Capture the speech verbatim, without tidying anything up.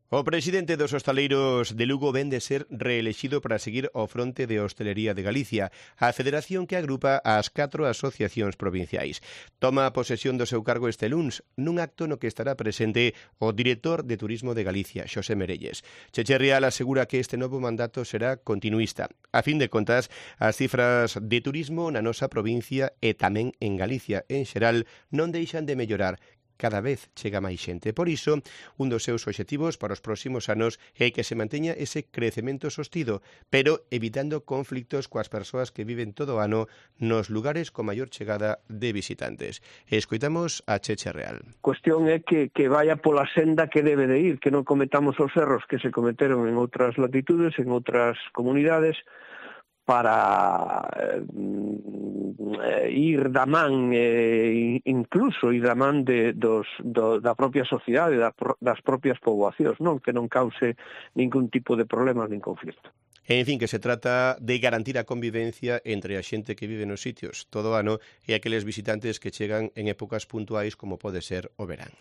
O presidente dos hostaleiros de Lugo ven de ser reelexido para seguir ao fronte de Hostelería de Galicia, a federación que agrupa as catro asociacións provinciais. Toma posesión do seu cargo este luns, nun acto no que estará presente o director de Turismo de Galicia, Xosé Merelles. Cheche Real asegura que este novo mandato será continuista. A fin de contas, as cifras de turismo na nosa provincia e tamén en Galicia en xeral non deixan de mellorar. Cada vez chega máis xente. Por iso, un dos seus obxectivos para os próximos anos é que se manteña ese crecemento sostido, pero evitando conflictos coas persoas que viven todo o ano nos lugares con maior chegada de visitantes. Escoitamos a Cheche Real. A cuestión é que, que vaya pola senda que debe de ir, que non cometamos os erros que se cometeron en outras latitudes, en outras comunidades, para eh, ir da man, eh, incluso ir da man de, dos, do, da propia sociedade, da, das propias poboacións, non? Que non cause ningún tipo de problemas nin conflito. En fin, que se trata de garantir a convivencia entre a xente que vive nos sitios todo o ano e aqueles visitantes que chegan en épocas puntuais como pode ser o verán.